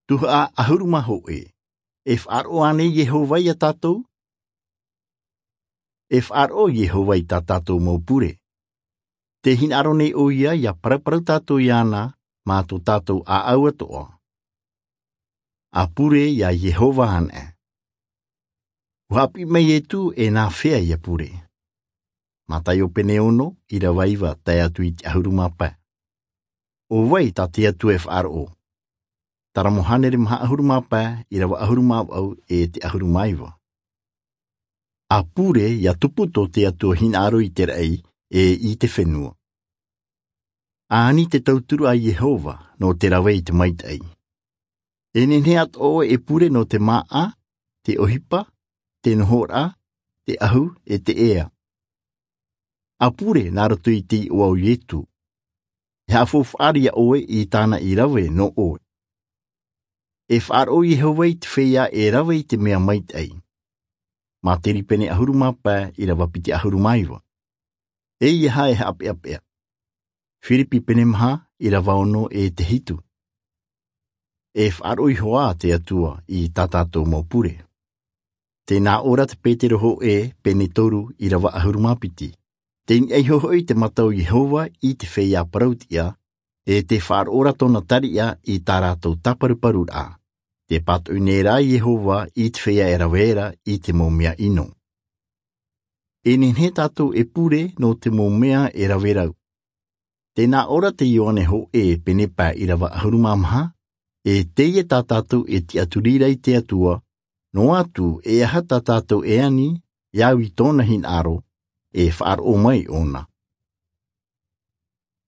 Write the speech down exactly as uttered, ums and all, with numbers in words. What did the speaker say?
Tuhaʻa ʻahuru mā hōʻē. E faʻaroʻo ānei iehova iā tātou? E faʻaroʻo iehova i tā tātou mau pure. Te hinaʻaro nei ʻoia ia paraparau tātou iāna mā tō tātou ʻāʻau atoʻa. A pure iā iehova anaʻe. Ua haʻapiʻi mai iesu e nā fea ia pure. Mataio pene ono, ʻirava iva tae atu i te ʻahuru mā pae. ʻO vai tā te atua e faʻaroʻo? Taramo hānere maha ʻahuru mā pae, ʻirava ʻahuru mā vaʻu e te ʻahuru mā iva. A pure ia tupu tō te atua hinaʻaro i te raʻi e i te fenua. A ani te tauturu a iehova nō te rave i te maitaʻi. E nehenehe atoʻa ʻoe e pure nō te māʻa, te ʻohipa, te nohoraʻa, te ʻahu e te ʻea. A pure nā roto i te iʻoa o iesu. E haʻafaufaʻa ʻoe i tāna i rave nō ʻoe. E faʻaroʻo iehova i te feiā e rave i te mea maitaʻi. Mataio pene ʻahuru mā pae, ʻirava piti ʻahuru mā iva. E ia haʻapeʻapeʻa. Filipi pene maha, ʻirava ono e te hitu. E faʻaroʻo iho ā te atua i tā tātou mau pure. Tē nā ʻō ra te petero hōʻē pene toru, ʻirava ʻahuru mā piti. Tē niʻa iho hoʻi te mata o iehova i te feiā parau tiʻa, e tē faʻaroʻo ra tōna tariʻa i tā rātou tāparuparuraʻa. Tē pātoʻi nei rā iehova i te feiā e rave ra i te mau mea ʻino. E nehenehe tātou e pure nō te mau mea e rave rau. Tē nā ʻō ra te ioane hōʻē pene pae, ʻirava ʻahuru mā maha. E teie tā tātou e tiʻaturi ra i te atua, noa atu e aha tā tātou e ani, ia au i tōna hinaʻaro, e faʻaroʻo mai ʻōna.